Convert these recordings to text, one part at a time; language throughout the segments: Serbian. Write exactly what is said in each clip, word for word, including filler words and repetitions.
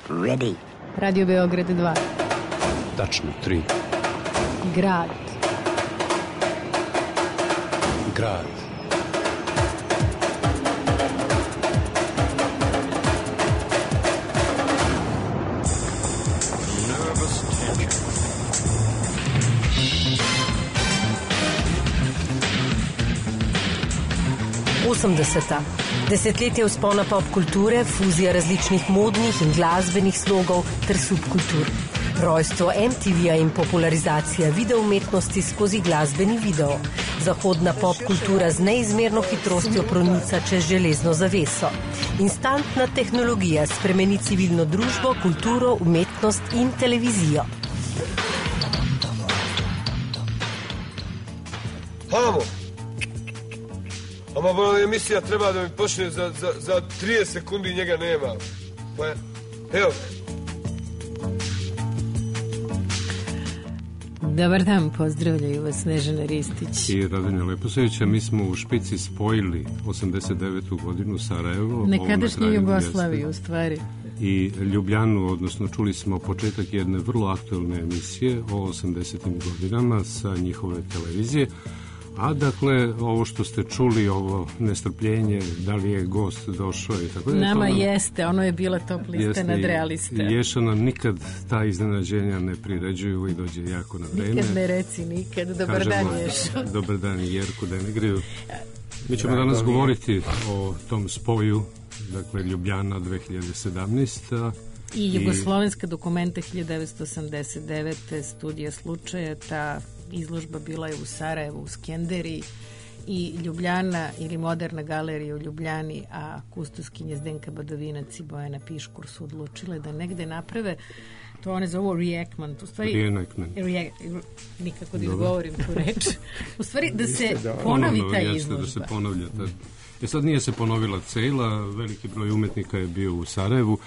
Ready. Radio Beograd dva. Tačno, tri. Grad. Grad. osemdeseta. Desetletje vzpona pop kulture, fuzija različnih modnih in glasbenih slogov ter subkultur. Rojstvo em te ve-ja in popularizacija videoumetnosti skozi glasbeni video. Zahodna pop kultura z neizmerno hitrostjo pronica čez železno zaveso. Instantna tehnologija spremeni civilno družbo, kulturo, umetnost in televizijo. Hamo! Ama ova emisija treba da mi počne za, za, za trideset sekundi, njega nema. Pa, evo. Dobar dan, pozdravljaju vas Snežana Ristić i Radonja Leposevića. Mi smo u špici spojili osamdeset devetu godinu Sarajevo, nekadašnju Jugoslaviju u stvari, i Ljubljanu, odnosno čuli smo početak jedne vrlo aktualne emisije o osamdesetim godinama sa njihove televizije. A dakle, ovo što ste čuli, ovo nestrpljenje, da li je gost došao i tako da. Nama to, jeste, ono je bila top lista jeste, nadrealista. Ješa nam nikad ta iznenađenja ne priređuju i dođe jako na vreme. Nikad ne reci nikad, dobar Kažemo, dan Ješo. Dobar dan Jerku Denegriju. Mi ćemo danas da, govoriti o tom spoju, dakle Ljubljana dve hiljade sedamnaeste. I Jugoslovenska dokumenta hiljadu devetsto osamdeset devete. Studija slučaja, ta izložba bila je u Sarajevu, u Skenderiji, i Ljubljana ili Moderna galerija u Ljubljani, a kustoskinje Zdenka Badovinac i Bojana Piškur su odlučile da negde naprave, to one zovu reenactment, u stvari reenactment. Re, nikako da izgovorim tu reč, u stvari da se ponovi ta izložba. Da se ponavlja. Ta, e sad nije se ponovila cela, veliki broj umetnika je bio u Sarajevu.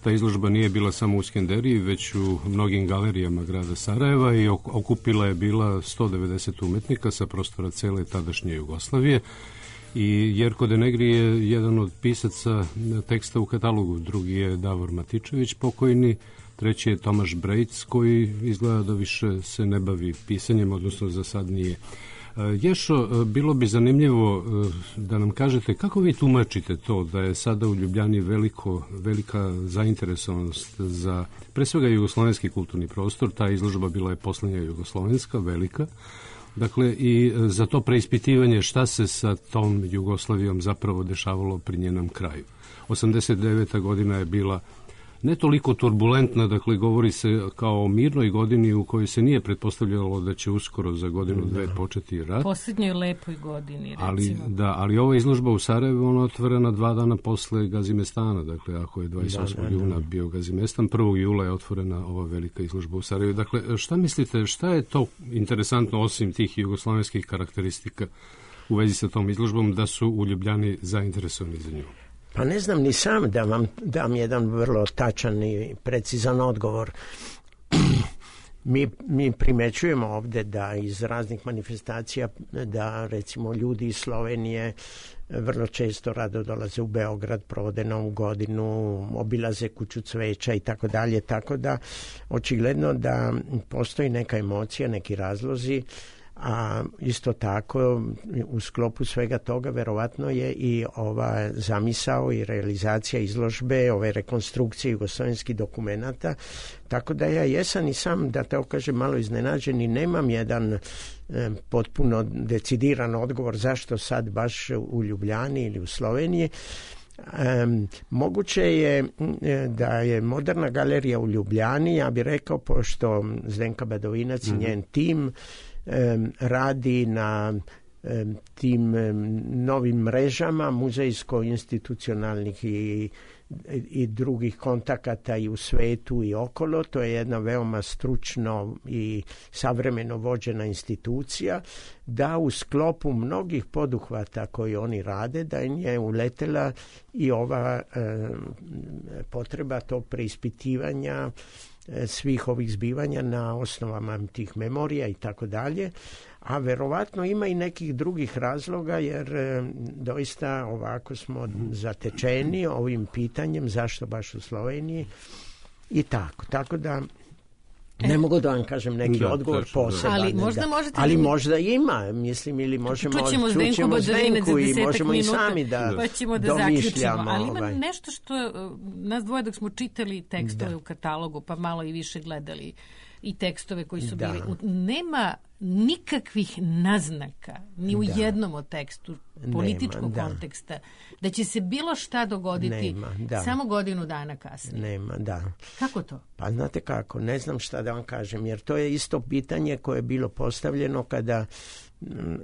Ta izložba nije bila samo u Skenderiji, već u mnogim galerijama grada Sarajeva i okupila je bila sto devedeset umetnika sa prostora cele tadašnje Jugoslavije. I Jerko Denegri je jedan od pisaca teksta u katalogu, drugi je Davor Matičević pokojni, treći je Tomaš Brejc koji izgleda da više se ne bavi pisanjem, odnosno za sad nije. Ješo, bilo bi zanimljivo da nam kažete kako vi tumačite to da je sada u Ljubljani veliko, velika zainteresovanost za pre svega jugoslovenski kulturni prostor. Ta izložba bila je poslednja jugoslovenska, velika. Dakle, i za to preispitivanje šta se sa tom Jugoslavijom zapravo dešavalo pri njenom kraju. osamdeset deveta godina je bila ne toliko turbulentna, dakle govori se kao o mirnoj godini u kojoj se nije pretpostavljalo da će uskoro za godinu dve početi rat. Poslednjoj lepoj godini, recimo. Ali, da, ali ova izložba u Sarajevu, ona otvorena dva dana posle Gazimestana, dakle ako je dvadeset osmog juna bio Gazimestan, prvog jula je otvorena ova velika izložba u Sarajevu. Dakle, šta mislite, šta je to interesantno osim tih jugoslovenskih karakteristika u vezi sa tom izložbom da su u Ljubljani zainteresovani za nju? Pa ne znam ni sam da vam dam jedan vrlo tačan i precizan odgovor. Mi, mi primećujemo ovde da iz raznih manifestacija da recimo ljudi iz Slovenije vrlo često rado dolaze u Beograd, provode Novu godinu, obilaze Kuću cveća i tako dalje, tako da očigledno da postoji neka emocija, neki razlozi. A isto tako u sklopu svega toga verovatno je i ova zamisao i realizacija izložbe, ove rekonstrukcije jugoslovenskih dokumenata, tako da ja jesam i sam, da te okažem, malo iznenađen i nemam jedan e, potpuno decidiran odgovor zašto sad baš u Ljubljani ili u Sloveniji. Um, moguće je da je Moderna galerija u Ljubljani, ja bih rekao, pošto Zdenka Badovinac mm-hmm. i njen tim um, radi na um, tim um, novim mrežama muzejsko-institucionalnih i i drugih kontakata i u svetu i okolo. To je jedna veoma stručno i savremeno vođena institucija, da u sklopu mnogih poduhvata koji oni rade, da im je uletela i ova e, potreba tog preispitivanja e, svih ovih zbivanja na osnovama tih memorija i tako dalje. A verovatno ima i nekih drugih razloga, jer e, doista ovako smo zatečeni ovim pitanjem zašto baš u Sloveniji. i tako. Tako da ne mogu da vam kažem neki da, odgovor tačno, poseban. Ali možda, da. možete ali da... možda ima, mislim, ili možemo čućemo Zdenku, čućemo Zdenku i možemo minuta, i sami da pa ćemo da zaključimo. Ali ima ovaj. nešto što nas dvoje dok smo čitali tekstove da. u katalogu, pa malo i više gledali i tekstove koji su da. bili. Nema nikakvih naznaka ni u da. jednom od tekstu političkog Nema, konteksta da. da će se bilo šta dogoditi Nema, da. samo godinu dana kasnije. Nema, da. Kako to? Pa znate kako, ne znam šta da vam kažem, jer to je isto pitanje koje je bilo postavljeno kada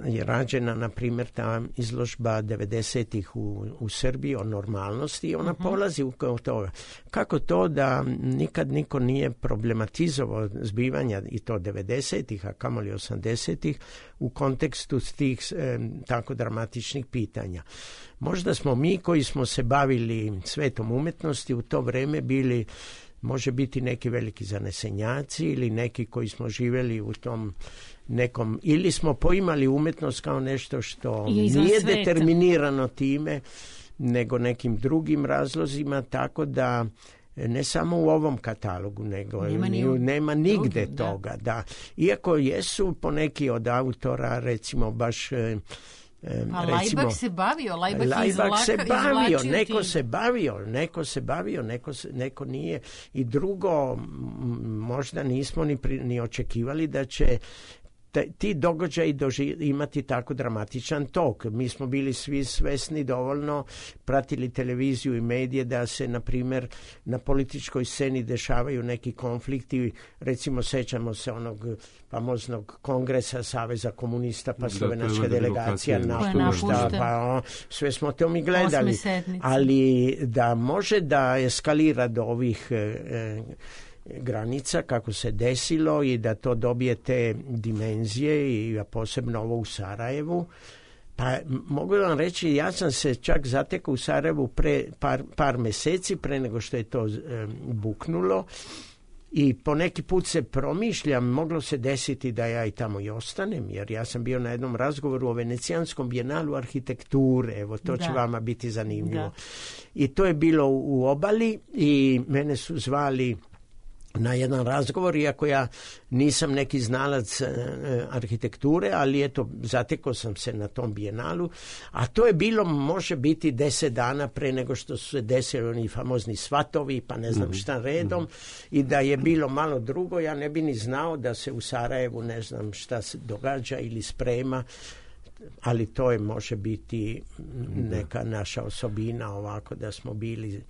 je rađena, na primjer, ta izložba devedesetih u, u Srbiji o normalnosti i ona uh-huh. polazi u toga. Kako to da nikad niko nije problematizovao zbivanja i to devedesetih, a kamoli osamdesetih u kontekstu tih e, tako dramatičnih pitanja. Možda smo mi koji smo se bavili svetom umetnosti u to vreme bili, može biti neki veliki zanesenjaci ili neki koji smo živjeli u tom nekom, ili smo poimali umetnost kao nešto što nije sveta. Determinirano time, nego nekim drugim razlozima, tako da ne samo u ovom katalogu, nego nema, ni u, nema nigde drugim, toga. Da. Da. Iako jesu poneki od autora, recimo baš... A Lajbak se bavio, Lajbak, Lajbak izlaka, se bavio, neko ti... se bavio, neko se bavio, neko, se, neko nije. I drugo, možda nismo ni, pri, ni očekivali da će ti događaji doži, imati tako dramatičan tok. Mi smo bili svi svesni dovoljno, pratili televiziju i medije da se, na primjer, na političkoj sceni dešavaju neki konflikti. Recimo, sećamo se onog famoznog kongresa Saveza komunista, pa slovenačka delegacija napušta, pa o, sve smo to mi gledali. Ali da može da eskalira do ovih... E, granica, kako se desilo i da to dobije te dimenzije i posebno ovo u Sarajevu. Pa mogu vam reći, ja sam se čak zatekao u Sarajevu pre par, par meseci pre nego što je to e, buknulo i po neki put se promišljam, moglo se desiti da ja i tamo i ostanem, jer ja sam bio na jednom razgovoru o Venecijanskom bijenalu arhitekture, evo to da. će vama biti zanimljivo. Da. I to je bilo u Obali i mene su zvali na jedan razgovor, iako ja nisam neki znalac e, arhitekture, ali eto, zatekao sam se na tom bijenalu, a to je bilo, može biti deset dana pre nego što su se desili oni famozni svatovi, pa ne znam šta redom, mm-hmm. i da je bilo malo drugo, ja ne bi ni znao da se u Sarajevu ne znam šta se događa ili sprema, ali to je, može biti neka naša osobina ovako da smo bili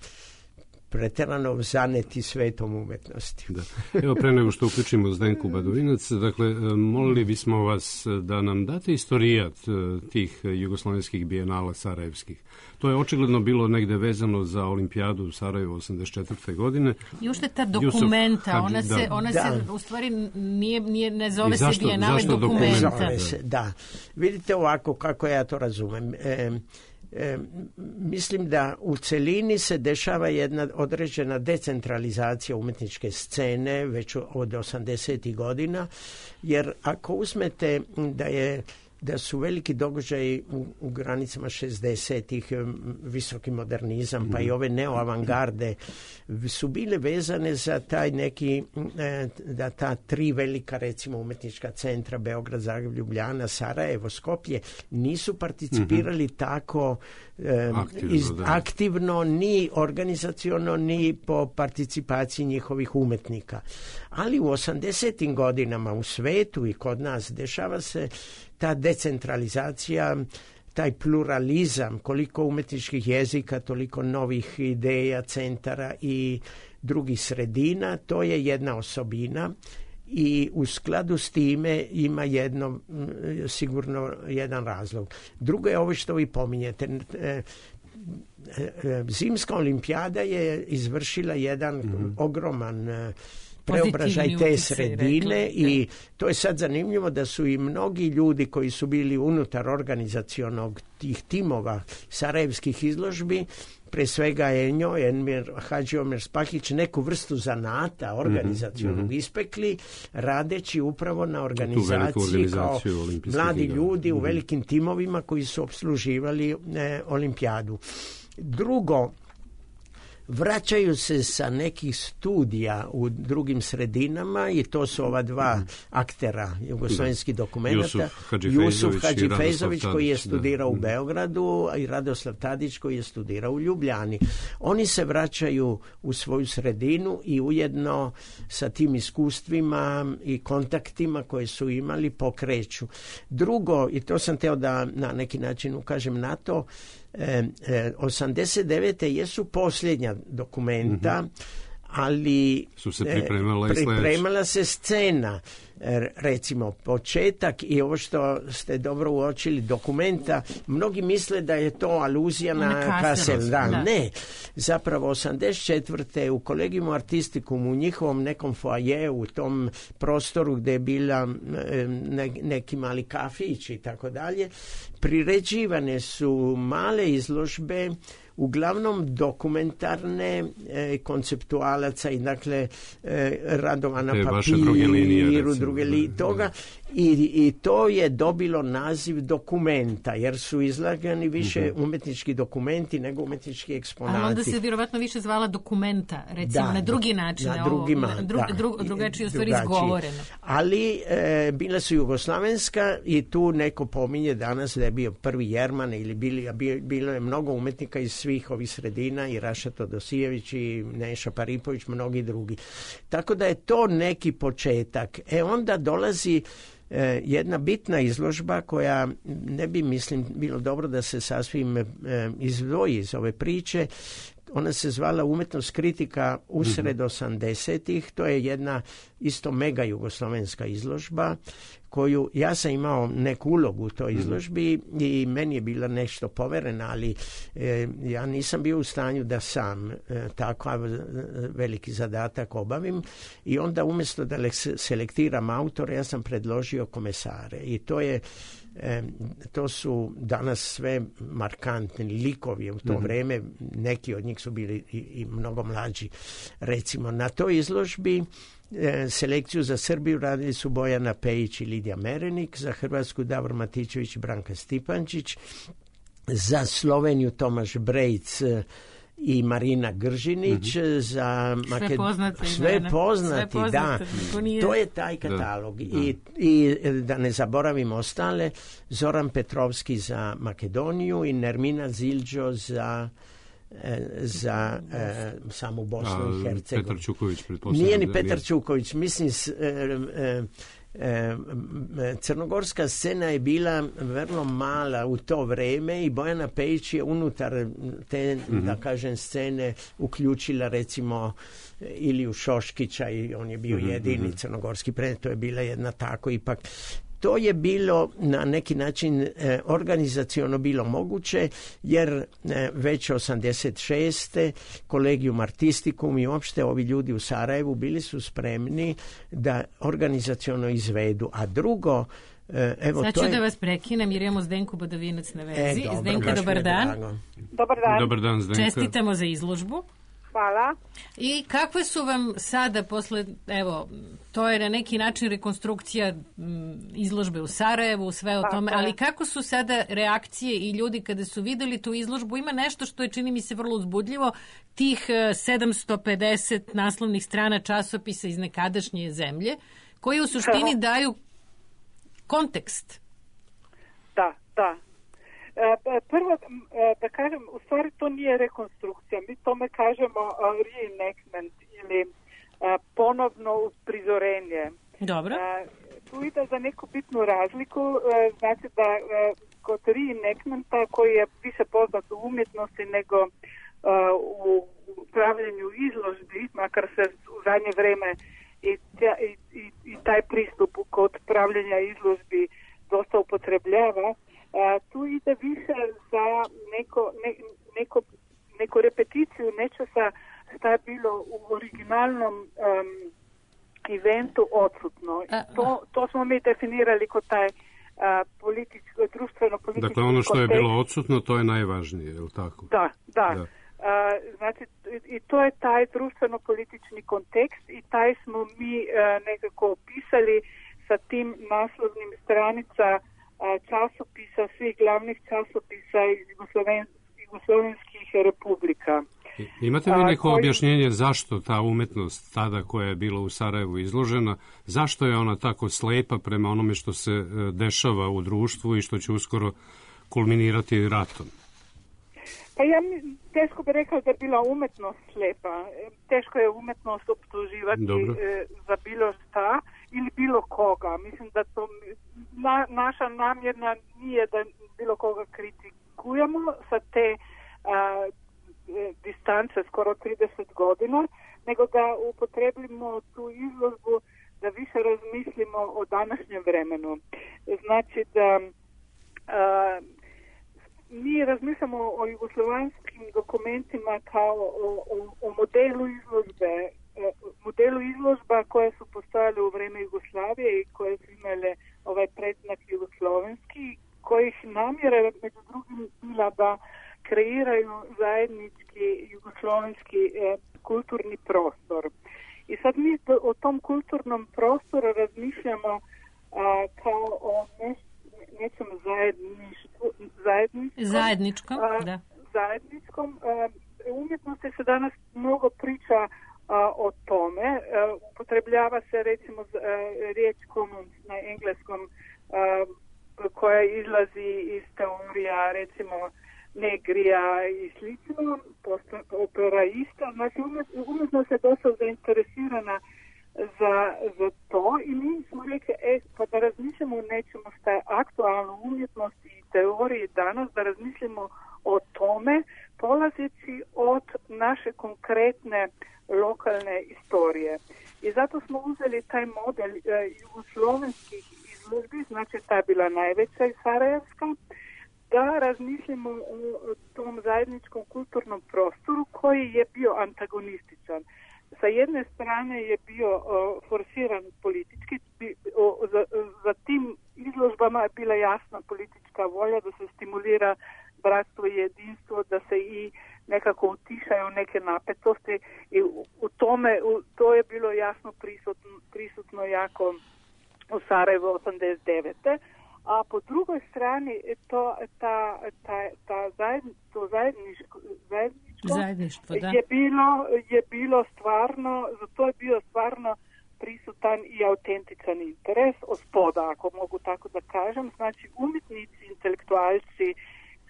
pretjerano zaneti svetom umetnosti. Da. Evo, pre nego što uključimo Zdenku Badovinac, dakle, molili bismo vas da nam date istorijat tih jugoslovenskih bijenala sarajevskih. To je očigledno bilo negde vezano za olimpijadu u Sarajevu osamdeset četvrte godine. I ušte ta dokumenta, Hadži, ona, se, ona da. se u stvari nije, nije, ne zove zašto, se bijenale dokumenta. Zove se, da. Vidite ovako kako ja to razumem. E, E, mislim da u celini se dešava jedna određena decentralizacija umetničke scene već od osamdesetih godina, jer ako uzmete da je da su veliki događaji u, u granicama šezdesetih, visoki modernizam, pa i ove neoavangarde su bile vezane za taj neki, da ta tri velika, recimo, umetnička centra, Beograd, Zagreb, Ljubljana, Sarajevo, Skoplje, nisu participirali mm-hmm. tako eh, aktivno, iz, aktivno, ni organizaciono, ni po participaciji njihovih umetnika. Ali u osamdesetim godinama u svetu i kod nas dešava se ta decentralizacija, taj pluralizam, koliko umetničkih jezika, toliko novih ideja, centara i drugih sredina, to je jedna osobina i u skladu s time ima jedno, sigurno jedan razlog. Drugo je ovo što vi pominjete. Zimska olimpijada je izvršila jedan mm-hmm. ogroman preobražaj te sredine rekli, i to je sad zanimljivo da su i mnogi ljudi koji su bili unutar organizacionog tih timova sarajevskih izložbi, pre svega Enjo, Enmir Hadži Omer Spahić, neku vrstu zanata organizacionog mm-hmm. ispekli, radeći upravo na organizaciji kao mladi ljudi mm-hmm. u velikim timovima koji su opsluživali e, olimpijadu. Drugo, vraćaju se sa nekih studija u drugim sredinama i to su ova dva aktera jugoslovenskih dokumenta. Jusuf Hadžifejzović koji je studirao u Beogradu i Radoslav Tadić koji je studirao u Ljubljani. Oni se vraćaju u svoju sredinu i ujedno sa tim iskustvima i kontaktima koje su imali pokreću. Drugo, i to sam teo da na neki način ukažem na to, e, e, osamdeset devete jesu posljednja dokumenta, mm-hmm. ali su se pripremala, e, pripremala se scena, e, recimo početak i ovo što ste dobro uočili dokumenta, mnogi misle da je to aluzija na Kassel, da, da. Ne, zapravo osamdeset četvrte u Collegium Artisticum u njihovom nekom foaje u tom prostoru gdje je bila ne, neki mali kafić i tako dalje, priređivane su male izložbe uglavnom dokumentarne e, konceptualaca i dakle e, radova na papiru, druge linije, druge li, toga i, i to je dobilo naziv dokumenta jer su izlagani više mm-hmm. umetnički dokumenti nego umetnički eksponati. Ali onda se vjerovatno više zvala dokumenta, recimo da, na drugi način, na drugima, ovo, na dru, da, dru, drugačije u stvari izgovoreno. Ali e, bila su jugoslavenska i tu neko pominje danas da je bio prvi Jerman ili bili, bilo je mnogo umetnika iz svih ovih sredina i Raša Todosijević i Neša Paripović, mnogi drugi. Tako da je to neki početak. E onda dolazi e, jedna bitna izložba koja ne bi, mislim, bilo dobro da se sasvim e, izdvoji iz ove priče. Ona se zvala Umetnost kritika usred osamdesetih. To je jedna isto mega jugoslovenska izložba koju ja sam imao neku ulogu u toj izložbi i meni je bila nešto poverena, ali e, ja nisam bio u stanju da sam e, takav veliki zadatak obavim i onda umjesto da selektiram autore, ja sam predložio komesare i to je E, to su danas sve markantni likovi u to mm-hmm. vrijeme, neki od njih su bili i, i mnogo mlađi. Recimo, na toj izložbi e, selekciju za Srbiju radili su Bojana Pejić i Lidija Merenik, za Hrvatsku Davor Matičević i Branka Stipančić, za Sloveniju Tomaš Brejc i Marina Gržinić, mm-hmm. za Maked... sve poznati, sve da, poznati, sve poznati da. Nije... To je taj katalog. Da, da. I, I da ne zaboravim ostale, Zoran Petrovski za Makedoniju i Nermina Zilđo za za e, samu Bosnu i Hercegovinu. Petar Čuković, pretpostavljam. Nije ni Petar Čuković, mislim s, e, e, E, crnogorska scena je bila vrlo mala u to vrijeme i Bojana Pejić je unutar te, mm-hmm. da kažem, scene uključila recimo Iliju Šoškića i on je bio mm-hmm. jedini crnogorski predmet, to je bila jedna tako ipak. To je bilo na neki način e, organizaciono bilo moguće jer e, već osamdeset šeste Collegium Artisticum i uopšte ovi ljudi u Sarajevu bili su spremni da organizaciono izvedu. A drugo, e, evo sad ću to je... da vas prekinem jer imamo Zdenku Badovinac na vezi. E, dobro, Zdenka, dobar dan. Dobar dan. Dobar dan, Zdenka. Čestitamo za izložbu. Hvala. I kakve su vam sada posle, evo, to je na neki način rekonstrukcija m, izložbe u Sarajevu, sve o pa, tome, ali kako su sada reakcije i ljudi kada su videli tu izložbu? Ima nešto što je, čini mi se, vrlo uzbudljivo, tih sedamsto pedeset naslovnih strana časopisa iz nekadašnje zemlje, koji u suštini daju kontekst. Da, da. Prvo, da kažem, u stvari to nije rekonstrukcija, mi tome kažemo reenactment ili ponovno prizorenje. Dobro. Tu ide za neku bitnu razliku, znači da kod reenactmenta koji je više poznat u umjetnosti nego u upravljanju izložbi, makar se u zadnje vreme i, i, i, i taj pristup kod upravljanja izložbi dosta upotrebljava. Uh, tu ide više za neko, ne, neko, neko repeticiju nečesa što je bilo u originalnom um, eventu odsutno. I to, to smo mi definirali kod taj uh, političko, društveno-politički Dakle, ono što kontekst. je bilo odsutno, to je najvažnije, je li tako? Da, da. da. Uh, znači, i to je taj društveno-politički kontekst i taj smo mi uh, nekako opisali sa tim naslovnim stranica časopisa, svih glavnih časopisa iz Jugosloven, jugoslovenskih republika. Imate vi neko koji... objašnjenje zašto ta umetnost tada koja je bila u Sarajevu izložena, zašto je ona tako slepa prema onome što se dešava u društvu i što će uskoro kulminirati ratom? Pa ja teško bi rekao da je bila umetnost slepa. Teško je umetnost optuživati e, za bilo šta ili bilo koga. Mislim da to na, naša namjerna nije da bilo koga kritikujemo sa te a, distance skoro trideset godina, nego da upotrebimo tu izložbu da više razmislimo o današnjem vremenu. Znači da a, mi razmišljamo o jugoslovanskim dokumentima kao o, o, o modelu izložbe, modelu izložba koje su postojale u vreme Jugoslavije i koje su imale ovaj predznak jugoslovenski, kojih namjera među drugim bila da kreiraju zajednički jugoslovenski eh, kulturni prostor. I sad mi o tom kulturnom prostoru razmišljamo a, kao o nešto nečem zajedništvu, zajedničkom, zajedničkom, a, da. zajedničkom. A, umjetnosti se danas mnogo priča a, o tome. A, upotrebljava se recimo a, riječ commons na engleskom a, koja izlazi iz teorija recimo Negrija i slično, operaista. Znači umjetnost je dosta zainteresirana Za, za to i mi smo rekli, e, pa da razmišljamo o nečemu što je aktualno u umjetnosti i teoriji danas, da razmišljamo o tome polazeći od naše konkretne lokalne istorije. I zato smo uzeli taj model e, jugoslovenskih izložbi, znači ta je bila najveća i sarajevska, da razmišljamo o tom zajedničkom kulturnom prostoru koji je bio antagonističan. Sa jedne strane je bio o, forsiran politički, bi, o, za, za tim izložbama je bila jasna politička volja da se stimulira bratstvo i jedinstvo, da se i nekako utišaju neke napetosti i u, u tome, u, to je bilo jasno prisutno, prisutno jako u Sarajevu osamdeset devete. A po drugoj strani to, ta, ta, ta zajedni, to zajedničko, zajedničko Zajedništvo, da. je, bilo, je bilo stvarno, za to je bio stvarno prisutan i autentičan interes od spoda, ako mogu tako da kažem. Znači umjetnici, intelektualci,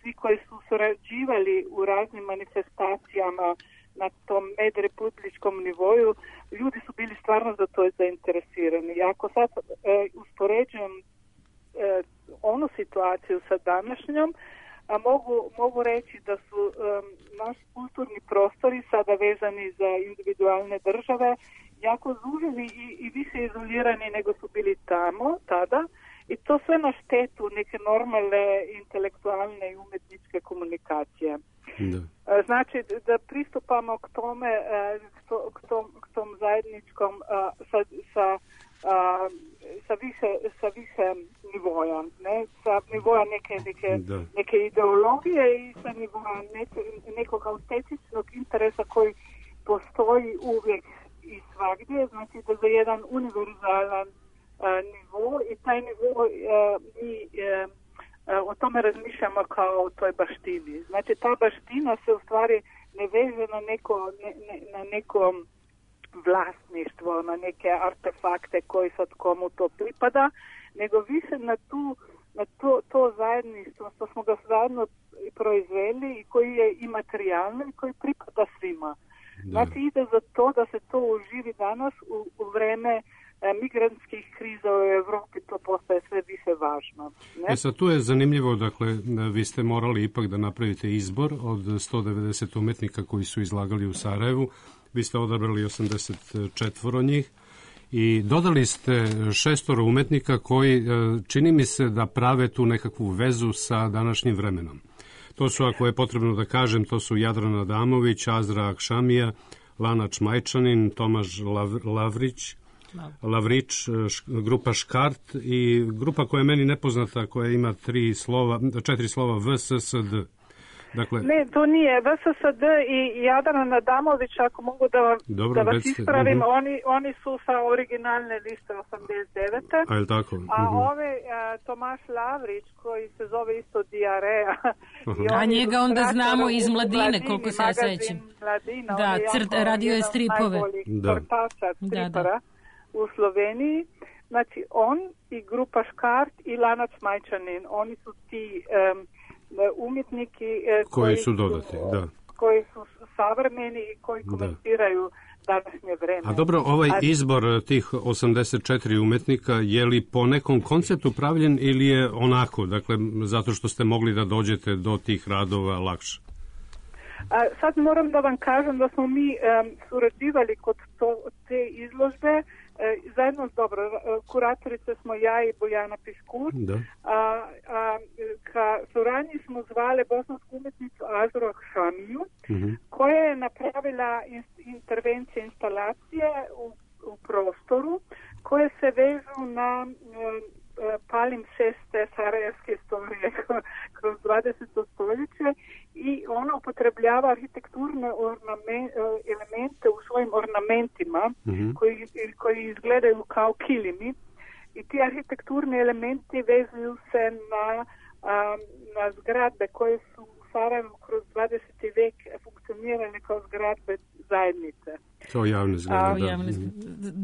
svi koji su surađivali u raznim manifestacijama na tom medrepubličkom nivoju, ljudi su bili stvarno za to zainteresirani. I ako sad e, uspoređujem E, onu situaciju sa današnjom, a mogu, mogu reći da su um, naši kulturni prostori sada vezani za individualne države jako zuženi i, i više izolirani nego su bili tamo tada i to sve na štetu neke normalne intelektualne i umjetničke komunikacije. Da. Znači da pristupamo k tome, k tom, k tom, k tom zajedničkom sa, sa A, sa više, sa više nivoja, ne? Sa nivoja neke, neke, neke ideologije i sa nivoja neke, nekog autentičnog interesa koji postoji uvijek i svagdje, znači da za jedan univerzalan a, nivo i taj nivo a, mi a, a, o tome razmišljamo kao o toj baštini. Znači ta baština se u stvari ne veže na neko, ne, ne, na nekom vlasništvo, na neke artefakte koji sad komu to pripada, nego više na, tu, na to, to zajedništvo što smo ga zajedno proizveli i koji je i materijalno i koji pripada svima. Da. Znači ide za to da se to uživi danas u, u vreme e, migrantskih kriza u Evropi, to postaje sve više važno. Ne? E sad tu je zanimljivo, dakle, vi ste morali ipak da napravite izbor od sto devedeset umetnika koji su izlagali u Sarajevu. Vi ste odabrali osamdeset četiri njih i dodali ste šestoro umetnika koji, čini mi se, da prave tu nekakvu vezu sa današnjim vremenom. To su, ako je potrebno da kažem, to su Jadrana Adamović, Azra Akšamija, Lana Čmajčanin, Tomaž Lav, Lavrić, Lavrić, grupa Škart i grupa koja je meni nepoznata, koja ima tri slova, četiri slova V, S, S, D. Dakle, ne, to nije. V S S D i Jadrana Adamović, ako mogu da, vam, dobro, da vas recite. ispravim, Uh-huh. oni, oni su sa originalne liste osamdeset devete. A je tako? A Uh-huh. ove a, Tomaš Lavrić, koji se zove isto Diareja. Uh-huh. A njega onda znamo iz Mladine, koliko se ja sećam. Mladina, da, crt, radio je stripove. Da. Crtača, stripara da, da. u Sloveniji. Znači, on i grupa Škart i Lanac Majčanin, oni su ti um, umjetniki uh, koji, koji su dodati, da. koji su savremeni i koji komentiraju da. današnje vreme. A dobro, ovaj A... izbor tih osamdeset četiri umetnika, je li po nekom konceptu pravljen ili je onako, dakle, zato što ste mogli da dođete do tih radova lakše? A, sad moram da vam kažem da smo mi um, surađivali kod to, te izložbe e, zajedno s dobro, kuratorice smo ja i Bojana Piškur. Da. A, a, ka suradnji smo zvali bosansku umetnicu Azro Šamiju, uh-huh. koja je napravila in, intervencije, instalacije u, u prostoru koje se vežu na um, palimpseste sarajevske istorije kroz dvadeseto stoljeće i ona upotrebljava arhitekturne ornamen, elemente u svojim ornamentima mm-hmm. koji, koji izgledaju kao kilimi i ti arhitekturni elementi vezuju se na, a, na zgradbe koje su u Sarajevu kroz dvadeseti vek funkcionirane kao zgradbe zajednice. Kao javne zgrade, da. Javne,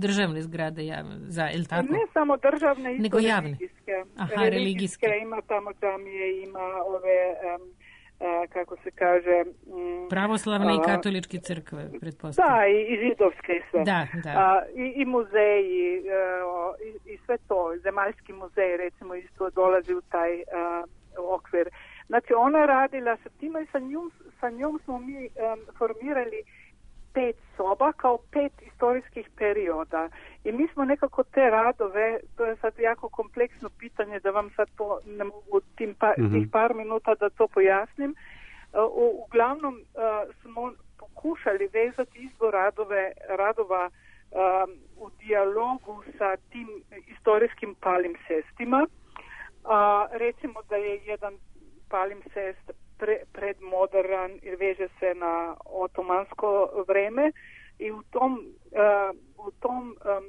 državne zgrade, javne, za, je li tako? Ne samo državne, isto nego javne. Religijske. Aha, religijske. Ima tamo džamije, ima ove, um, uh, kako se kaže... Um, pravoslavne uh, i katoličke crkve, pretpostavljam. Da, i, i židovske i sve. Da, da. Uh, i, I muzeji, uh, i, i sve to. Zemaljski muzej, recimo, isto dolazi u taj uh, okvir. Znači, ona je radila sa tima i sa njom, sa njom smo mi um, formirali pet soba kao pet istorijskih perioda. I mi smo nekako te radove, to je sad jako kompleksno pitanje da vam sad to ne mogu tim pa, mm-hmm. tih par minuta da to pojasnim. U, uglavnom uh, smo pokušali vezati izbor radove, radova um, u dijalogu sa tim istorijskim palimpsestima. Uh, recimo da je jedan palimpsest Pre, predmodern i veže se na otomansko vreme i u tom, uh, u tom um,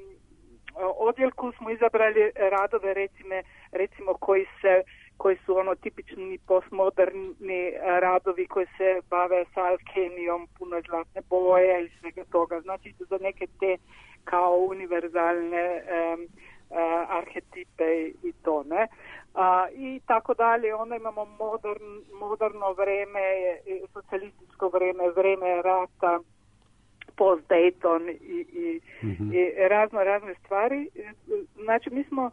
odjeljku smo izabrali radove recime, recimo koji, se, koji su ono tipični postmoderni radovi koji se bave sa alkemijom, puno zlatne boje i svega toga. Znači za neke te kao univerzalne um, uh, arhetipe i to, ne? A, i tako dalje. Onda imamo modern, moderno vreme, socijalističko vreme, vreme rata, post-Dayton i, i, mm-hmm. i razno razne stvari. Znači mi smo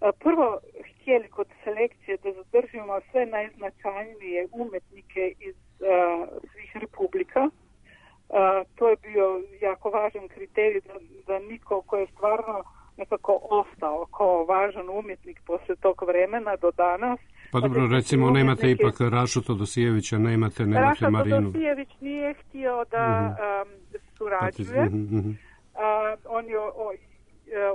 a, prvo htjeli kod selekcije da zadržimo sve najznačajnije umetnike iz a, svih republika. A, to je bio jako važan kriterij da, da niko ko je stvarno nekako ostao kao važan umjetnik posle tog vremena do danas. Pa dobro, recimo, nemate umjetnike... ipak Rašu Todosijevića, nemate, nemate Raša Marinu. Raša Todosijević nije htio da uh-huh. um, surađuje. Uh-huh. Uh, on je o, o,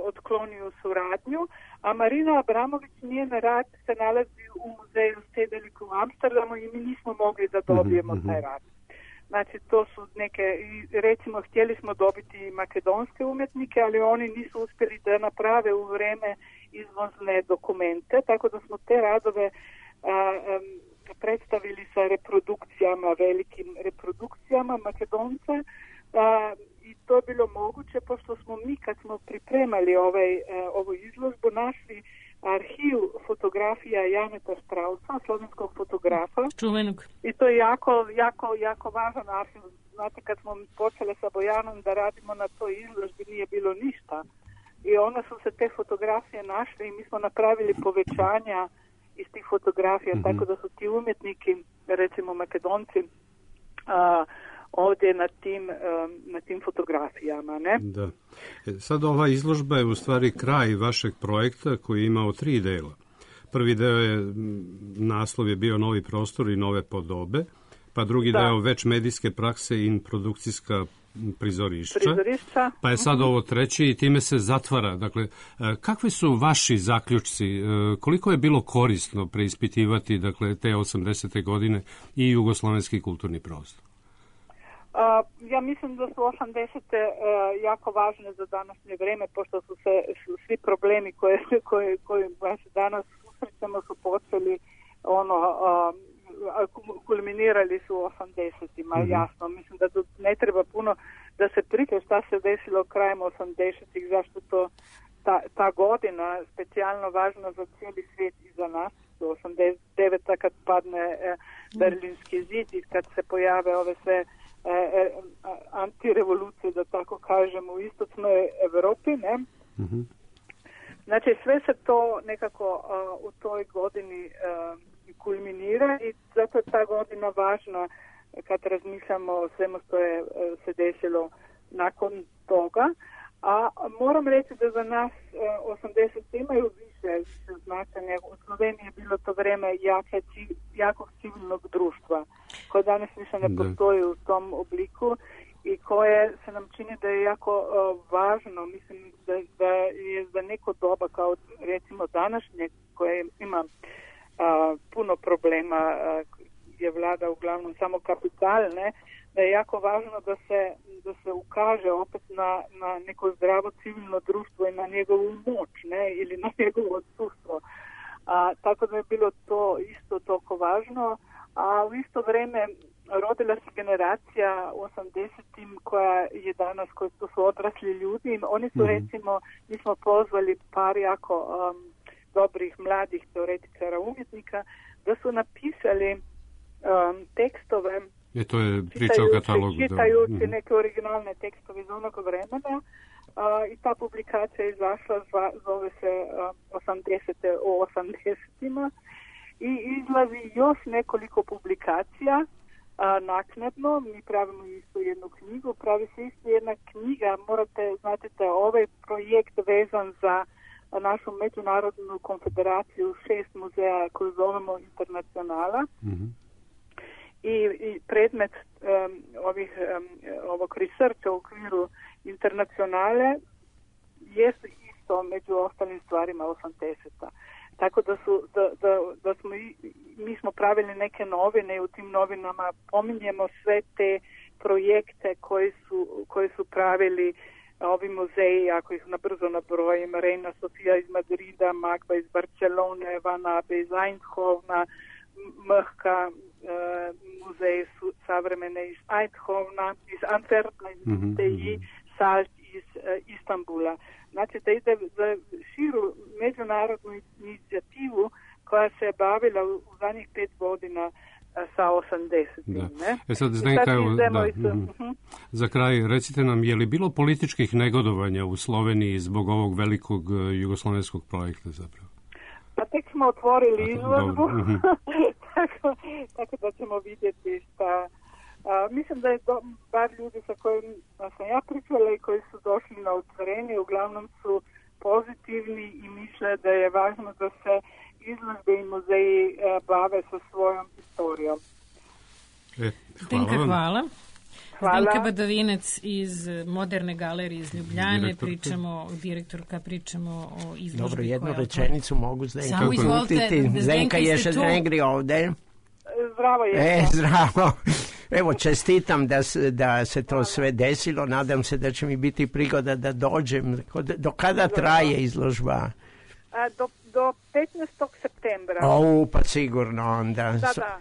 otklonio suradnju, a Marina Abramović njen rad se nalazi u muzeju Stedelijk u Amsterdamu i mi nismo mogli da dobijemo uh-huh. taj rad. Znači, to su neke, recimo, htjeli smo dobiti makedonske umjetnike, ali oni nisu uspjeli da naprave u vreme izvozne dokumente, tako da smo te radove a, a, predstavili sa reprodukcijama, velikim reprodukcijama Makedonce a, i to je bilo moguće, pošto smo mi, kad smo pripremali ovaj, a, ovu izložbu, našli arhiv fotografija Janeta Štrausa, slovenskog fotografa. Čuvenog. I to je jako, jako, jako važan arhiv. Znate, kad smo počeli sa Bojanom da radimo na toj izložbi, nije bilo ništa. I onda su se te fotografije našle i mi smo napravili povećanja iz tih fotografija, mm-hmm. tako da su ti umjetniki, recimo Makedonci, a, ovdje na tim, na tim fotografijama, ne? Da. Sad ova izložba je u stvari kraj vašeg projekta koji je imao tri dela. Prvi deo je, naslov je bio Novi prostor i nove podobe, pa drugi da. deo Već medijske prakse i produkcijska prizorišća, prizorišća. Pa je sad ovo treće i time se zatvara. Dakle, kakvi su vaši zaključci? Koliko je bilo korisno preispitivati, dakle, te osamdesete godine i jugoslovenski kulturni prostor? Uh, ja mislim da su osamdesete uh, jako važne za današnje vreme, pošto su se su svi problemi koje, koje, koje se danas susrećemo su počeli ono, uh, kulminirali su u osamdesetima, mm-hmm. jasno. Mislim da ne treba puno da se priča šta se desilo krajem osamdesetih, zašto to ta, ta godina specijalno važna za cijeli svijet i za nas. osamdeset deveta kad padne eh, Berlinski zid i kad se pojave ove sve E, e, antirevolucije, da tako kažem, u istočnoj Evropi, ne? Mm-hmm. Znači, sve se to nekako a, u toj godini a, kulminira i zato je ta godina važna kad razmišljamo o svemu što je a, se desilo nakon toga. A moram reći da za nas osamdesete imaju više, više značenja. U Sloveniji je bilo to vreme jake, jakog civilnog društva, koje danas više ne postoji u tom obliku i koje se nam čini da je jako uh, važno. Mislim da, da je za neko doba kao recimo današnje koje ima uh, puno problema, uh, je vlada uglavnom samo kapitalne, da je jako važno da se, da se ukaže opet na, na neko zdravo civilno društvo i na njegovu moć, ne, ili na njegovo odsustvo. A, tako da je bilo to isto toliko važno, a u isto vrijeme rodila se generacija u osamdesetim koja je danas, koji su odrasli ljudi. Oni su, mm-hmm. recimo, mi smo pozvali par jako um, dobrih mladih teoretičara umjetnika da su napisali um, tekstove. E, to je priča o katalogu. Čitajući da. neke originalne tekstove iz onog vremena. Uh, i ta publikacija je izašla, zva, zove se uh, osamdesete o osamdesetima i izlazi još nekoliko publikacija uh, naknadno. Mi pravimo isto jednu knjigu, pravi se isto jedna knjiga, morate znati da ovaj projekt vezan za našu međunarodnu konfederaciju šest muzeja koju zovemo Internacionala. Mm-hmm. I, i predmet um, ovih, um, ovog researcha u okviru Internacionale jest isto među ostalim stvarima osamdeseta. Tako da su da, da, da smo i, mi smo pravili neke novine i u tim novinama pominjemo sve te projekte koji su, koji su pravili ovi muzeji, ako ih na brzo nabrojim, Reina Sofia iz Madrida, Magba iz Barcelone, Van Abbe iz Eindhovna, M H K uh, muzej su, savremene iz Eindhovna, iz Antwerpna, iz mm-hmm. T I, Salt iz uh, Istanbula. Znači da ide za širu međunarodnu inicijativu koja se je bavila u, u zadnjih pet godina uh, sa osamdesetim. Ne? E sad, Zdenka, evo, da. Mm-hmm. Uh-huh. Za kraj, recite nam, je li bilo političkih negodovanja u Sloveniji zbog ovog velikog uh, jugoslovenskog projekta zapravo? Pa tek smo otvorili izložbu, tako, tako da ćemo vidjeti šta. A, mislim da je do, bar ljudi sa kojima sam ja pričala i koji su došli na otvorenje, uglavnom su pozitivni i misle da je važno da se izložbe i muzeji a, bave sa svojom historijom. E, Zdenka, hvala. Hvala. Zdenka Badovinec iz Moderne galerije iz Ljubljane, direktorka. pričamo, direktorka, pričamo o izložbi. Dobro, jednu koja rečenicu mogu Zdenka Samo izvolite, Zdenka je še negri ovde. Zdravo je. E, zdravo. Evo, čestitam da se, da se to sve desilo. Nadam se da će mi biti prigoda da dođem. Do kada traje izložba? A, do, do petnaestog septembra. O, pa sigurno onda. Da, da.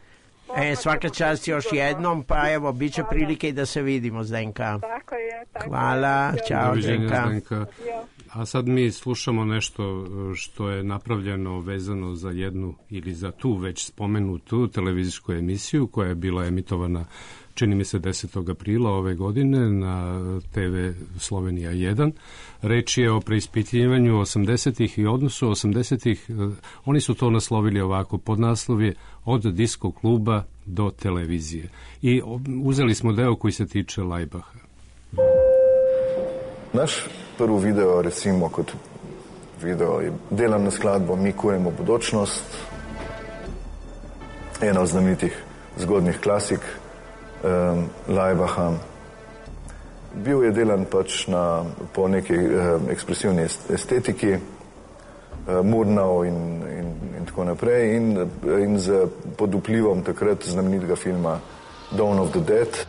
E, svaka čast još jednom, pa evo, bit će prilike i da se vidimo, Zdenka. Tako je, tako Hvala, je. čao, Zdenka. Zdenka. A sad mi slušamo nešto što je napravljeno vezano za jednu ili za tu već spomenutu televizijsku emisiju koja je bila emitovana, čini mi se, desetog aprila ove godine na te ve Slovenija jedan. Reč je o preispitivanju osamdesetih i odnosu osamdesetih. Oni su to naslovili ovako, pod naslovje Od disko kluba do televizije. I uzeli smo deo koji se tiče Lajbaha. Naš prvi video, recimo, kot video je delam na skladbo Mi kujemo bodočnost, ena od znamenitih zgodnih klasik um, Lajbaha. bil je delan pač na, po neki eh, ekspresivni estetiki, eh, Murnau in, in, in tako naprej in, in z, pod vplivom takrat znamenitega filma Dawn of the Dead.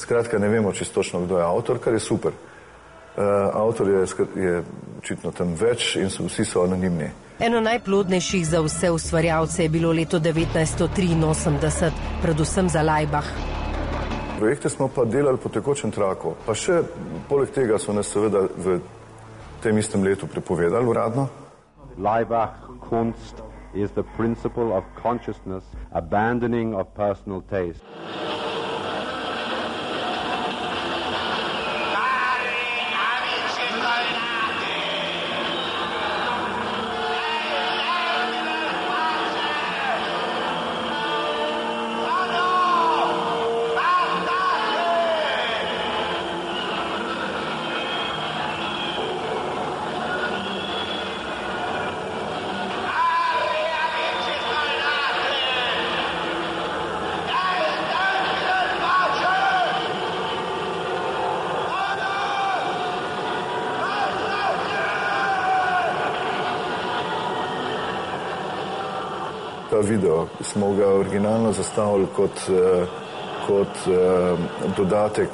Skratka, ne vemo čisto točno, kdo je avtor, kar je super. Uh, avtor je, je očitno tam več in so, vsi so anonimni. Eno najplodnejših za vse ustvarjalce je bilo leto devetnajststo triinosemdeset, predvsem za Laibach. Projekte smo pa delali po tekočem traku, pa še poleg tega so nas seveda v tem istem letu prepovedali uradno. Laibach Kunst is the principle of consciousness, abandoning of personal taste. Ta video smo ga originalno zastavili kot, kot dodatek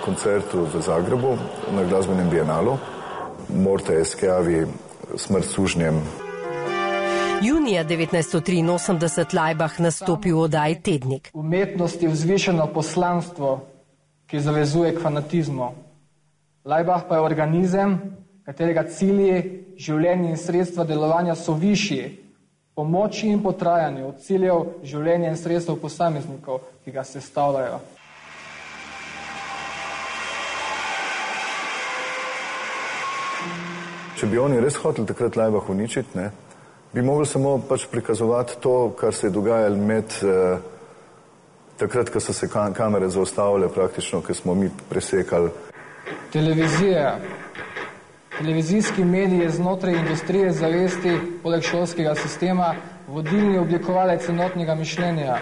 koncertu v Zagrebu na glasbenem bienalu. Morte Schiavi, Smrt sužnjem. Junija devetnajststo triinosemdeset Laibach nastopi v oddaji Tednik. Umetnost je vzvišeno poslanstvo, ki zavezuje k fanatizmu. Laibach pa je organizem, katerega cilji, življenje in sredstva delovanja so višji, po moči in po trajanju od ciljev življenja in sredstev posameznikov, ki ga sestavljajo. Če bi oni res hoteli takrat Laibach uničiti, ne, bi mogli samo pač prikazovati to, kar se je dogajalo med eh, takrat, ko so se kamere zaustavile praktično, ko smo mi presekali. Televizija. Televizijski mediji znotraj industrije zavesti, poleg šolskega sistema, vodilni oblikovalec enotnega mišljenja.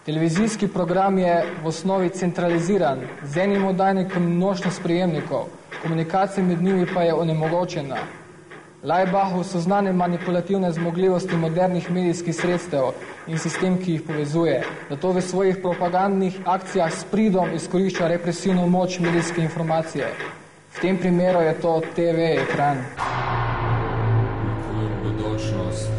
Televizijski program je v osnovi centraliziran, z enim oddajnikom množno sprejemnikov, komunikacija med njimi pa je onemogočena. Laibachu so znane manipulativne zmogljivosti modernih medijskih sredstev in sistem, ki jih povezuje, zato v svojih propagandnih akcijah s pridom izkorišča represivno moč medijske informacije. V tem primeru je to te ve ekran. Bodočnost.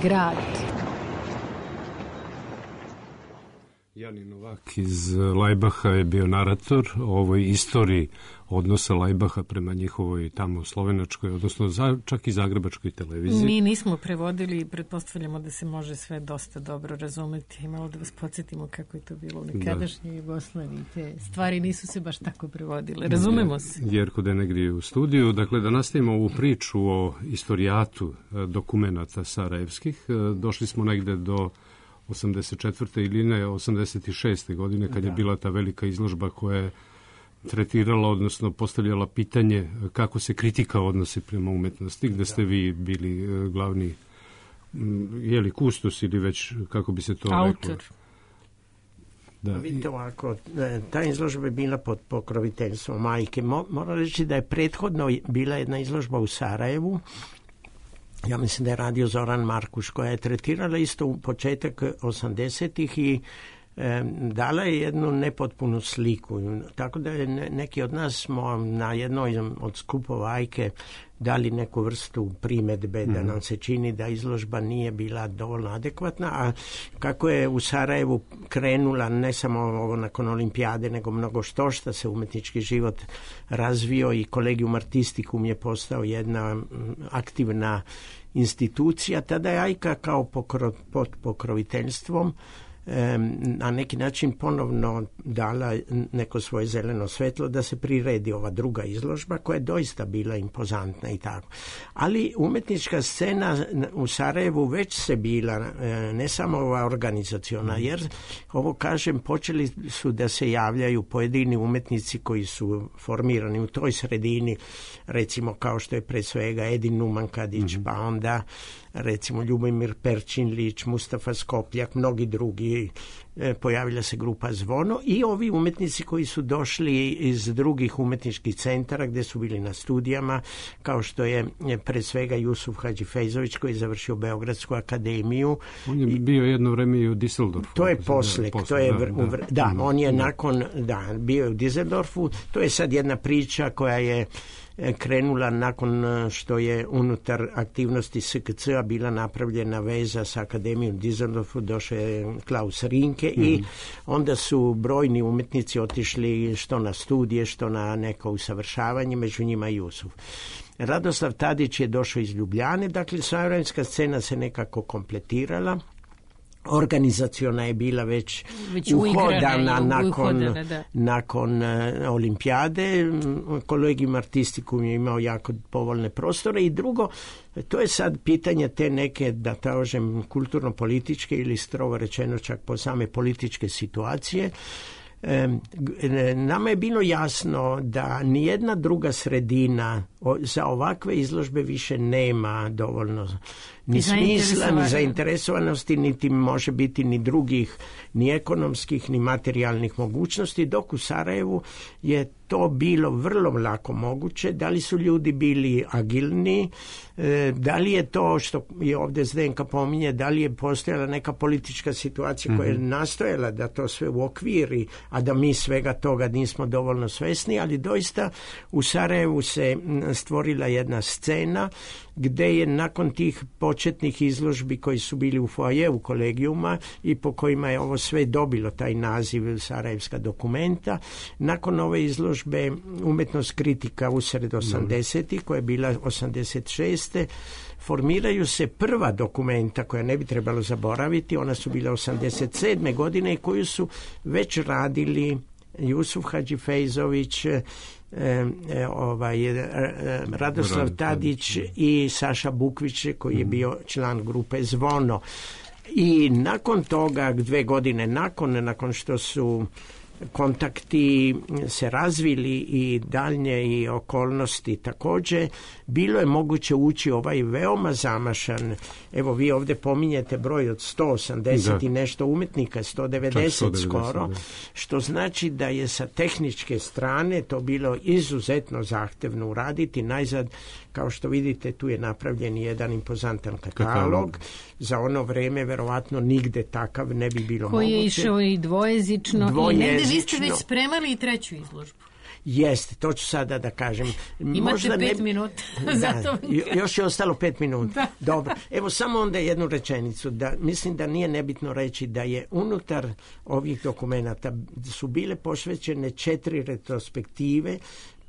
Grad. Jani Novak iz Laibacha je bio narator o ovoj istoriji odnosa Laibacha prema njihovoj tamo slovenačkoj, odnosno za, čak i zagrebačkoj televiziji. Mi nismo prevodili i pretpostavljamo da se može sve dosta dobro razumeti. I malo da vas podsjetimo kako je to bilo u nekadašnjoj Jugoslaviji. Te stvari nisu se baš tako prevodile. Razumemo se. Jerko de negdje u studiju. Dakle, da nastavimo ovu priču o istorijatu dokumenata sarajevskih. Došli smo negde do osamdeset četvrte ili ne, osamdeset šeste godine, kad da. je bila ta velika izložba koja je tretirala, odnosno postavljala pitanje kako se kritika odnosi prema umetnosti, gde ste vi bili glavni, je li kustos ili već, kako bi se to autor reklo? Da. Vidite ovako, ta izložba je bila pod pokroviteljstvom majke. Moram reći da je prethodno bila jedna izložba u Sarajevu, ja mislim da je radio Zoran Markuš, koja je tretirala isto u početak osamdesetih i e, dala je jednu nepotpunu sliku. Tako da je neki od nas smo na jednoj od skupova Ajke dali neku vrstu primedbe da nam se čini da izložba nije bila dovoljno adekvatna, a kako je u Sarajevu krenula ne samo ovo nakon olimpijade, nego mnogo što šta se umetnički život razvio i Collegium Artisticum je postao jedna aktivna institucija, tada je Ajka kao pokro, pod pokroviteljstvom na neki način ponovno dala neko svoje zeleno svetlo da se priredi ova druga izložba koja je doista bila impozantna i tako. Ali umetnička scena u Sarajevu već se bila, ne samo ova organizaciona, jer ovo kažem, počeli su da se javljaju pojedini umetnici koji su formirani u toj sredini, recimo kao što je pre svega Edin Numankadić, mm-hmm. pa onda recimo Ljubomir Perčinlić, Mustafa Skopljak, mnogi drugi, e, pojavila se grupa Zvono i ovi umetnici koji su došli iz drugih umetničkih centara gdje su bili na studijama, kao što je pre svega Jusuf Hadžifejzović koji je završio Beogradsku akademiju. On je bio jedno vreme i u Düsseldorfu. To je poslek, to je vr, da, da, da, on je da. nakon, da, bio je u Düsseldorfu, to je sad jedna priča koja je krenula nakon što je unutar aktivnosti S K C-a bila napravljena veza sa Akademijom Düsseldorfu, došao je Klaus Rinke mm-hmm. i onda su brojni umetnici otišli što na studije, što na neko usavršavanje, među njima i Jusuf. Radoslav Tadić je došao iz Ljubljane, dakle sarajevska scena se nekako kompletirala. Organizaciona je bila već, već uhodana nakon, uhodana, nakon uh, olimpijade. Collegium Artisticum je imao jako povoljne prostore i drugo, to je sad pitanje te neke, da kažem, kulturno-političke ili strogo rečeno čak po same političke situacije. Nama je bilo jasno da nijedna druga sredina za ovakve izložbe više nema dovoljno ni smisla, ni zainteresovanosti, niti može biti ni drugih, ni ekonomskih, ni materijalnih mogućnosti, dok u Sarajevu je to bilo vrlo lako moguće. Da li su ljudi bili agilni, da li je to što je ovdje Zdenka pominje, da li je postojala neka politička situacija koja je nastojala da to sve uokviri, a da mi svega toga nismo dovoljno svesni, ali doista u Sarajevu se stvorila jedna scena gdje je nakon tih početnih izložbi koji su bili u foajevu kolegijuma i po kojima je ovo sve dobilo taj naziv Sarajevska dokumenta, nakon ove izložbe Umjetnost kritika usred osamdesetih koja je bila osamdeset šeste formiraju se prva dokumenta koja ne bi trebalo zaboraviti, ona su bila osamdeset sedme godine i koju su već radili Jusuf Hadžifejzović, E, e, ovaj, e, Radoslav Tadić i Saša Bukvić koji je bio član grupe Zvono. I nakon toga, dve godine nakon, nakon što su kontakti se razvili i daljnje i okolnosti također, bilo je moguće ući ovaj veoma zamašan, evo vi ovdje pominjete broj od sto osamdeset da. I nešto umjetnika, sto devedeset, sto devedeset skoro, da. Što znači da je sa tehničke strane to bilo izuzetno zahtevno uraditi. Najzad, kao što vidite, tu je napravljen jedan impozantan katalog. katalog. Za ono vrijeme verovatno nigde takav ne bi bilo koji moguće. Koji je išao i dvojezično, dvojezično. I negde vi ste već spremali i treću izložbu. Jeste, to ću sada da kažem. Imate Možda pet ne... minuta. Da, još je ostalo pet minuta. Da. Dobro. Evo samo onda jednu rečenicu. Da, mislim da nije nebitno reći da je unutar ovih dokumenata su bile posvećene četiri retrospektive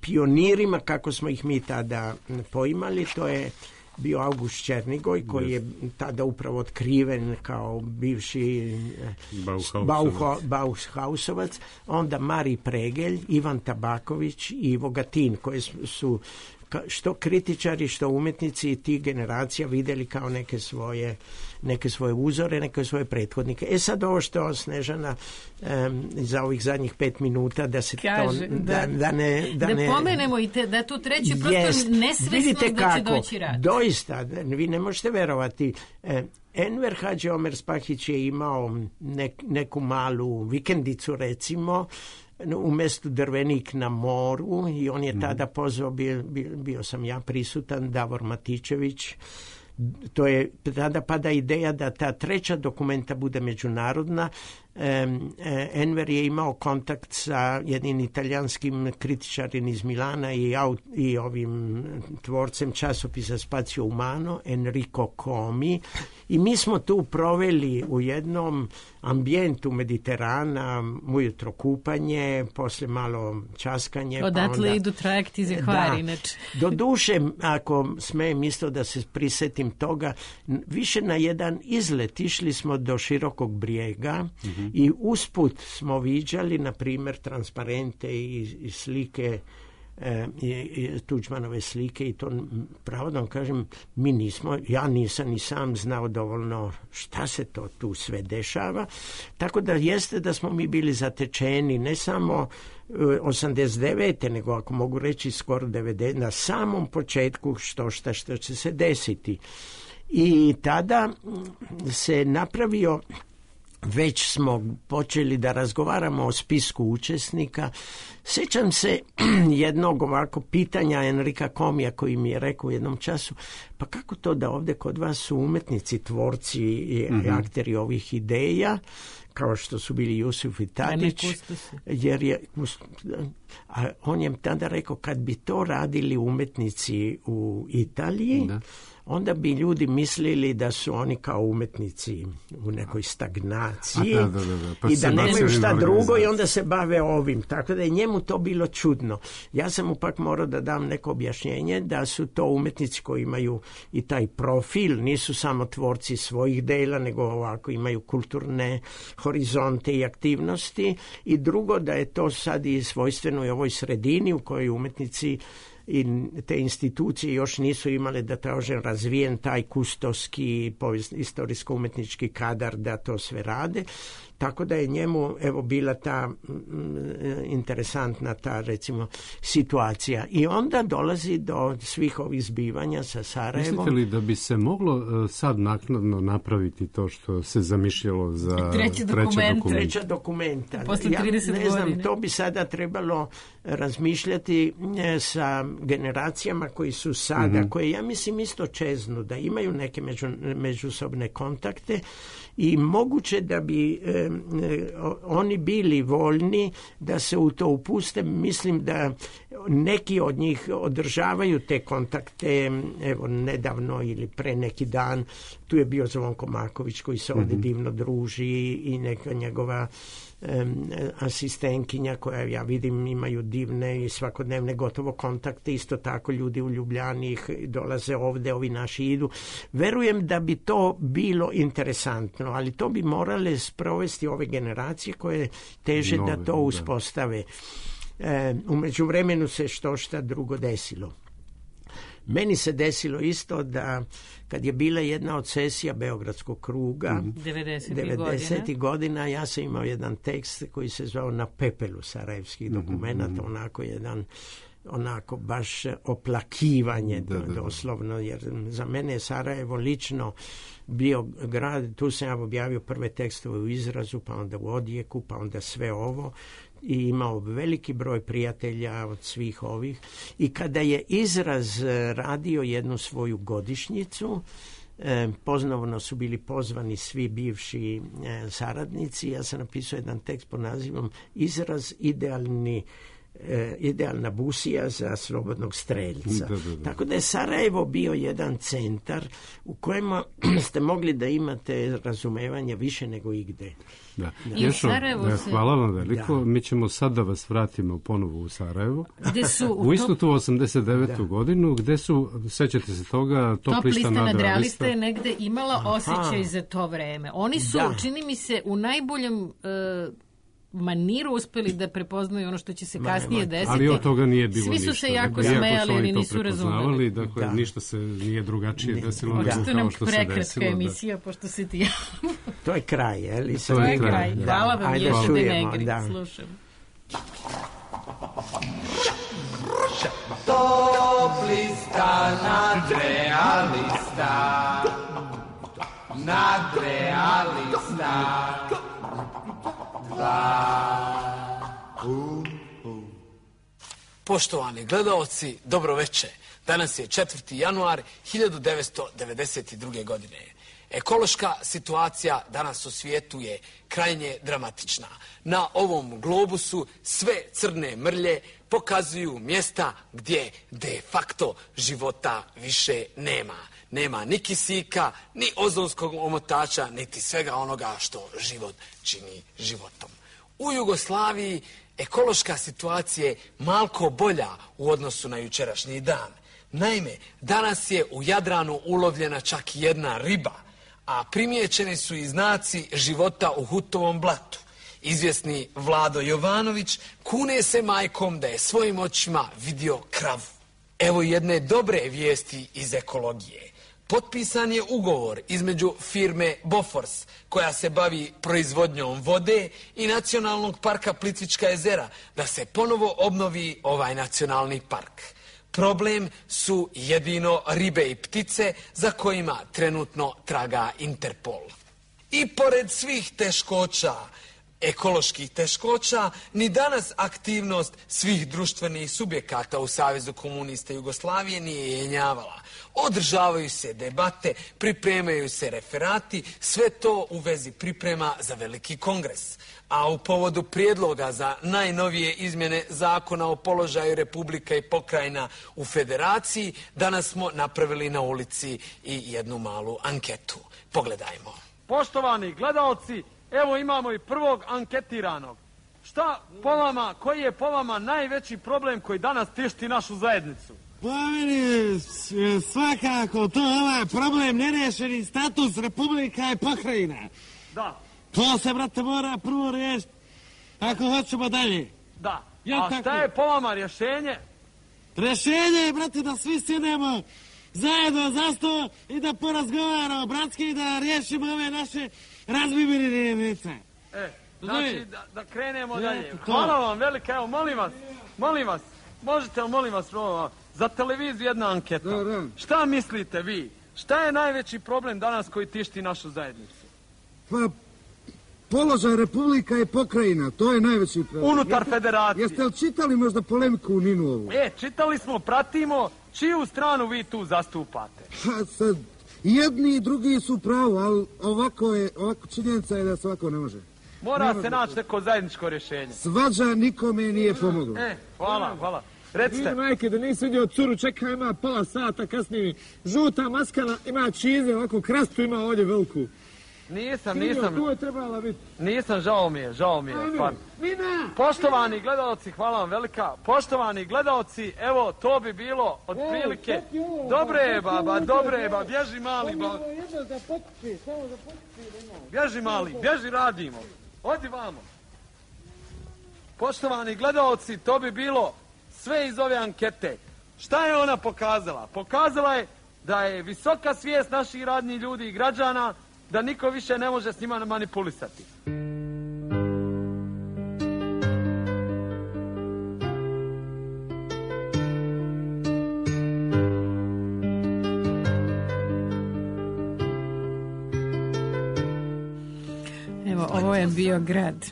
pionirima, kako smo ih mi tada poimali. To je bio August Černigoj, koji je tada upravo otkriven kao bivši Bauhausovac, Bauhausovac, onda Mari Pregelj, Ivan Tabaković i Ivo Gatin, koji su što kritičari, što umjetnici i tih generacija vidjeli kao neke svoje, neke svoje uzore, neke svoje prethodnike. E sad ovo što Snežana um, za ovih zadnjih pet minuta da se kaže, to da, da, da ne da, da ne pomenemo i te, da tu treći prosto jest, nesvesnost da će doći rad. Doista, vi ne možete verovati. Eh, Enver Hadži Omer Spahić je imao nek, neku malu vikendicu, recimo, u mjestu Drvenik na moru i on je tada pozvao, bio, bio, bio sam ja prisutan, Davor Matičević. To je tada pada ideja da ta treća dokumenta bude međunarodna. Enver je imao kontakt sa jednim italijanskim kritičarim iz Milana i, i ovim tvorcem časopisa Spazio Umano, Enrico Comi, i mi smo tu proveli u jednom ambijentu Mediterana, ujutro kupanje, posle malo časkanje. Odatle pa onda, idu trajekti za Hvar, inače. Do duše, ako smijem isto da se prisetim toga, više na jedan izlet išli smo do Širokog Brijega, mm-hmm. i usput smo viđali, na primjer, transparente i, i slike, e, i, i Tuđmanove slike, i to pravo da vam kažem, mi nismo, ja nisam ni sam znao dovoljno šta se to tu sve dešava, tako da jeste da smo mi bili zatečeni ne samo osamdeset devete nego ako mogu reći skoro devedeset na samom početku što šta što će se desiti. I tada se napravio, već smo počeli da razgovaramo o spisku učesnika. Sjećam se jednog ovako pitanja Enrika Komija koji mi je rekao u jednom času, pa kako to da ovdje kod vas su umjetnici, tvorci i mm-hmm. akteri ovih ideja, kao što su bili Jusuf i Tadić, jer je, a on je tada rekao, kad bi to radili umjetnici u Italiji, da. Onda bi ljudi mislili da su oni kao umjetnici u nekoj stagnaciji. A, da, da, da. Pa i da nemaju šta drugo i onda se bave ovim. Tako da je njemu to bilo čudno. Ja sam mu pak morao da dam neko objašnjenje da su to umjetnici koji imaju i taj profil, nisu samo tvorci svojih dela, nego ovako imaju kulturne horizonte i aktivnosti. I drugo, da je to sad i svojstveno i ovoj sredini u kojoj umjetnici i te institucije još nisu imale, da kažem, razvijen taj kustoski istorijsko-umjetnički kadar da to sve rade. tako da je njemu evo bila ta m, interesantna ta recimo situacija. I onda dolazi do svih ovih zbivanja sa Sarajevom. Mislite li da bi se moglo uh, sad naknadno napraviti to što se zamišljalo za treći dokument? Treća dokumenta. Posle trideset ja ne znam, godine. to bi sada trebalo razmišljati sa generacijama koji su sada, mm-hmm. koje ja mislim isto čeznu, da imaju neke među, međusobne kontakte i moguće da bi e, oni bili voljni da se u to upuste. Mislim da neki od njih održavaju te kontakte, evo nedavno ili pre neki dan tu je bio Zvonko Maković koji se ovdje mm-hmm. divno druži i neka njegova um, asistentkinja koja ja vidim imaju divne i svakodnevne gotovo kontakte, isto tako ljudi u Ljubljani dolaze ovdje, ovi naši idu. Verujem da bi to bilo interesantno, ali to bi morale sprovesti ove generacije koje teže Nove, da to uspostave. E, u međuvremenu se što šta drugo desilo. Meni se desilo isto da kad je bila jedna od sesija Beogradskog kruga devedesetih godina, ja sam imao jedan tekst koji se zvao Na pepelu sarajevskih dokumenata, mm-hmm. onako jedan onako baš oplakivanje da, da, doslovno, jer za mene je Sarajevo lično bio grad, tu sam ja objavio prve tekstove u Izrazu, pa onda u Odijeku, pa onda sve ovo i imao veliki broj prijatelja od svih ovih. I kada je Izraz radio jednu svoju godišnjicu, eh, ponovno su bili pozvani svi bivši eh, saradnici, ja sam napisao jedan tekst pod nazivom Izraz idealni E, idealna busija za slobodnog streljca. Da, da, da. Tako da je Sarajevo bio jedan centar u kojem ste mogli da imate razumevanje više nego igde. Da. Ješo, se... hvala vam veliko. Da. Mi ćemo sad da vas vratimo ponovo u Sarajevo. Gde su u, u istu tu osamdeset devetu da. godinu, gde su, sećate se toga, Top, top lista nadrealista je negde imala Aha. osjećaj za to vreme. Oni su, da. čini mi se, u najboljem uh, maniru uspeli da prepoznaju ono što će se kasnije desiti. Ali od toga nije bilo ništa. Svi su ništa. se jako smejali, ali nisu razumeli. Dakle, da. ništa se nije drugačije desilo nego da. kao što se desilo. Prekratka emisija, da. pošto se ti javno. To je kraj, je li? To je kraj. Da. Hvala vam, Ješe de Negri. Da. Slušam. Top lista nadrealista, nadrealista. Poštovani gledaoci, dobro veče. Danas je četvrti januar hiljadu devetsto devedeset druge. godine. Ekološka situacija danas u svijetu je krajnje dramatična. Na ovom globusu sve crne mrlje pokazuju mjesta gdje de facto života više nema. Nema ni kisika, ni ozonskog omotača, niti svega onoga što život čini životom. U Jugoslaviji ekološka situacija je malko bolja u odnosu na jučerašnji dan. Naime, danas je u Jadranu ulovljena čak jedna riba, a primijećeni su i znaci života u Hutovom blatu. Izvjesni Vlado Jovanović kune se majkom da je svojim očima vidio kravu. Evo jedne dobre vijesti iz ekologije. Potpisan je ugovor između firme Bofors, koja se bavi proizvodnjom vode, i Nacionalnog parka Plitvička jezera, da se ponovo obnovi ovaj nacionalni park. Problem su jedino ribe i ptice za kojima trenutno traga Interpol. I pored svih teškoća, ekoloških teškoća, ni danas aktivnost svih društvenih subjekata u Savezu komunista Jugoslavije nije jenjavala. Održavaju se debate, pripremaju se referati, sve to u vezi priprema za veliki kongres. A u povodu prijedloga za najnovije izmjene zakona o položaju Republika i pokrajina u federaciji, danas smo napravili na ulici i jednu malu anketu. Pogledajmo. Poštovani gledaoci, evo imamo i prvog anketiranog. Šta po vama, koji je po vama najveći problem koji danas tišti našu zajednicu? Po meni svakako to ovaj problem nerešeni status Republika i pokrajina. Da. To se, brate, mora prvo riješiti ako hoćemo dalje. Da. A šta tako je po vama rješenje? Rješenje je, brate, da svi sjedemo zajedno za sto i da porazgovaramo bratski i da riješimo ove naše razbibirine jedinice. E, znači da, da krenemo dalje. Hvala vam velika, evo molim vas, molim vas, možete li molim vas, za televiziju jedna anketa. Šta mislite vi? Šta je najveći problem danas koji tišti našu zajednicu? Pa, položaj Republika i pokrajina, to je najveći problem. Unutar federacije. Jeste li čitali možda polemiku u Ninu ovu? E, čitali smo, pratimo, čiju stranu vi tu zastupate? Pa sad, jedni i drugi su pravo, ali ovako je, ovako činjenica je da se ovako ne može. Mora se naći neko zajedničko rješenje. Svađa nikome nije pomoglo. E, hvala, hvala. Recite. Vidi, majke, da nisi vidio curu, čeka, ima pola sata kasnije. Žuta maskana, ima čize, ovako krastu ima ovdje veliku. Nisam, nisam. Tu je trebala biti. Nisam, žao mi je, žao mi je. Nina! Poštovani gledalci, hvala vam velika. Poštovani gledalci, evo, to bi bilo otprilike. Dobre je, baba, dobre je, baba, bježi mali, baba. Bježi mali, bježi radimo. Odi vamo. Poštovani gledalci, to bi bilo sve iz ove ankete. Šta je ona pokazala? Pokazala je da je visoka svijest naših radnih ljudi i građana da niko više ne može s njima manipulisati. Evo, ovo je bio grad.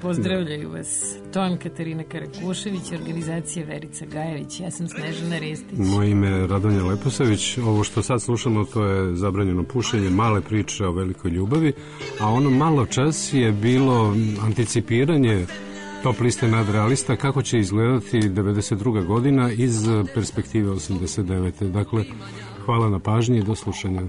Pozdravljaju vas Ton Katarina Karakušević, organizacija Verica Gajević. Ja sam Snežana Ristić. Moje ime je Radonja Leposavić. Ovo što sad slušamo, to je Zabranjeno pušenje, male priče o velikoj ljubavi, a ono malo čas je bilo anticipiranje top liste nadrealista kako će izgledati devedeset druga godina iz perspektive osamdeset devete. Dakle, hvala na pažnji i do slušanja.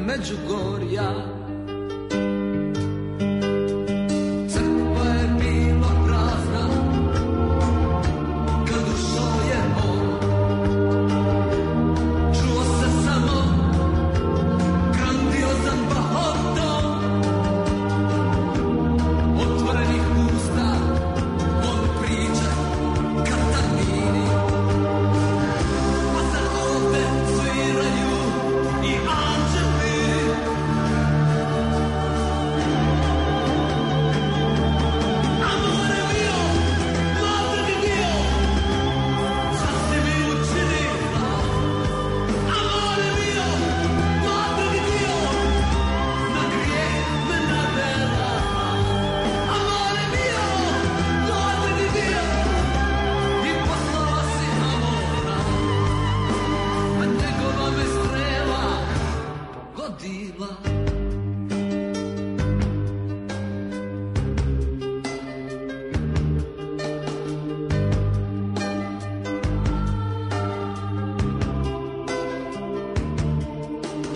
Međugorja, crkva je bila prazna kad ušao je on. Čuo se samo grandiozan bahoton otvorenih usta, on priča Katarini, a sad ovde sviraju i anđeli.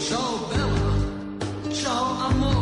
Ciao bella, ciao amore.